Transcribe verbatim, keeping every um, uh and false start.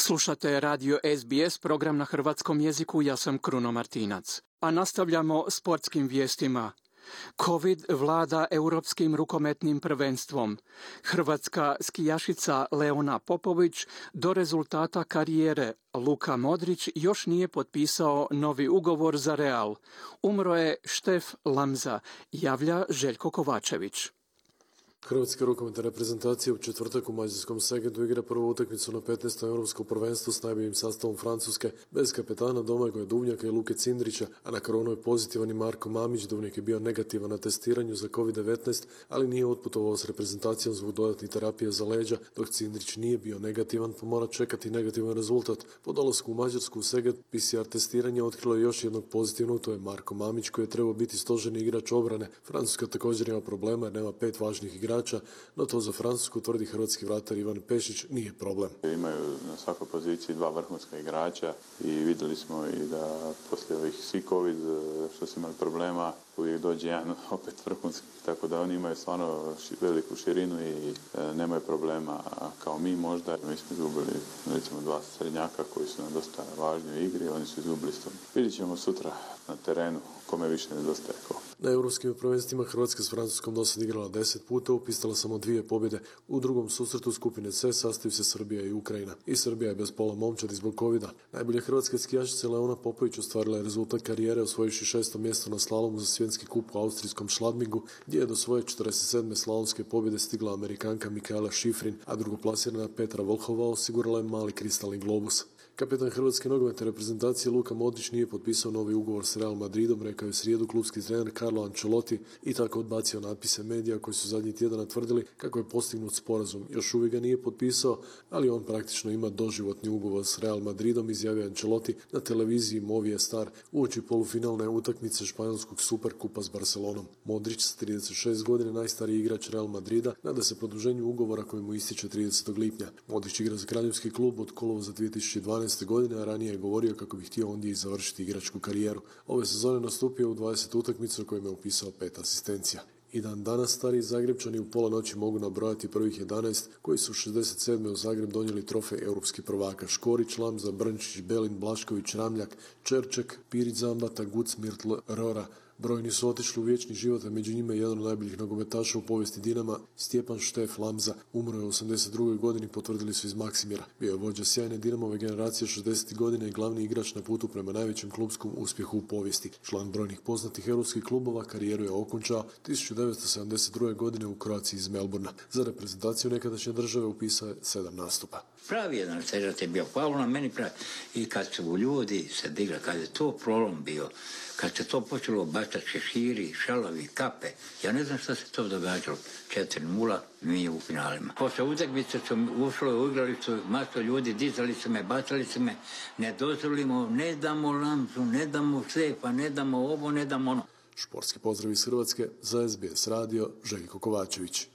Slušate radio S B S, program na hrvatskom jeziku, ja sam Kruno Martinac. A nastavljamo sportskim vijestima. Covid vlada europskim rukometnim prvenstvom. Hrvatska skijašica Leona Popović do rezultata karijere. Luka Modrić još nije potpisao novi ugovor za Real. Umro je Štef Lamza, javlja Željko Kovačević. Hrvatska rukometna reprezentacija u četvrtak u mađarskom Segetu igra prvu utakmicu na petnaestom europskom prvenstvu s najboljim sastavom Francuske, bez kapetana Domagoja Duvnjaka i Luke Cindrića, a na koronu je pozitivan i Marko Mamić. Duvnjak je bio negativan na testiranju za covid devetnaest, ali nije otputovao s reprezentacijom zbog dodatnih terapija za leđa, dok Cindrić nije bio negativan, pa mora čekati negativan rezultat. Po dolasku u Mađarsku u Seget, P C R testiranje otkrilo je još jednog pozitivnog, to je Marko Mamić, koji je trebao biti stožerni igrač obrane. Francuska također ima problema jer nema pet važnih igrača, no to za Francusku, tvrdi hrvatski vratar Ivan Pešić, nije problem. Imaju na svakoj poziciji dva vrhunska igrača i vidjeli smo i da poslije ovih svi covid što su imali problema, uvijek dođe jedan opet vrhunski, tako da oni imaju stvarno veliku širinu i e, nemaju problema kao mi možda. Mi smo izgubili recimo dva srednjaka koji su nam dosta važni u igri, oni su izgubili s tom. Vidjet ćemo sutra na terenu kome više nedostaje ko. Na europskim prvenstvima Hrvatska s Francuskom dosad igrala deset puta, upisala samo dvije pobjede. U drugom susretu skupine C sastaju se Srbija i Ukrajina. I Srbija je bez pola momčadi zbog covida. Najbolja hrvatska skijašica Leona Popović ostvarila je rezultat karijere osvojivši šesto mjesto na slalomu za svjetski kup u austrijskom Schladmingu, gdje je do svoje četrdeset sedme slalomske pobjede stigla Amerikanka Mikaela Šifrin, a drugoplasirana Petra Volhova osigurala je mali kristalni globus. Kapetan hrvatske nogometne reprezentacije Luka Modrić nije potpisao novi ugovor s Real Madridom, rekao je srijedu klubski trener Carlo Ancelotti i tako odbacio natpise medija koji su zadnji tjedan tvrdili kako je postignut sporazum. Još uvijek ga nije potpisao, ali on praktično ima doživotni ugovor s Real Madridom, izjavio Ancelotti na televiziji Movistar uoči polufinalne utakmice španjolskog Superkupa s Barcelonom. Modrić s trideset šest godina, najstariji igrač Real Madrida, nada se produženju ugovora koji mu ističe tridesetog lipnja. Modrić igra za kraljevski klub od kolovoza dvije tisuće dvanaeste godine, a ranije je govorio kako bi htio ondje i završiti igračku karijeru. Ove sezone nastupio u dvadeset utakmica u kojima je upisao pet asistencija. I dan danas stari Zagrebčani u pola noći mogu nabrojati prvih jedanaest koji su u šezdeset sedme u Zagreb donijeli trofej europskih prvaka. Škorić, Lamza, Brnčić, Belin, Blašković, Ramljak, Čerček, Pirić, Zambata, Guc, Mirtl, Rora. Brojni su otišli u vječni život, a među njima je jedan od najboljih nogometaša u povijesti Dinama, Stjepan Štef Lamza. Umro je u osamdeset drugoj godini, potvrdili su iz Maksimira. Bio je vođa sjajne Dinamove generacije šezdesetih godina i glavni igrač na putu prema najvećem klubskom uspjehu u povijesti. Član brojnih poznatih europskih klubova, karijeru je okončao tisuću devetsto sedamdeset druge godine u Kroaciji iz Melbourna. Za reprezentaciju nekadašnje države upisao je sedam nastupa. Pravi jedan sežat je bio, hvala na meni pravi. I kad su ljudi se digli, kad je to prolom bio, kad se to počelo bacati šeširi, šalovi, kape, ja ne znam što se to događalo. četiri nula, mi u finalima. Posle utakmice su ušlo u igralicu, maso ljudi, dizali su me, bacali su me, ne dozvolimo, ne damo Lamzu, ne damo Štefa, ne damo ovo, ne damo ono. Športski pozdrav iz Hrvatske, za S B S radio, Željko Kovačević.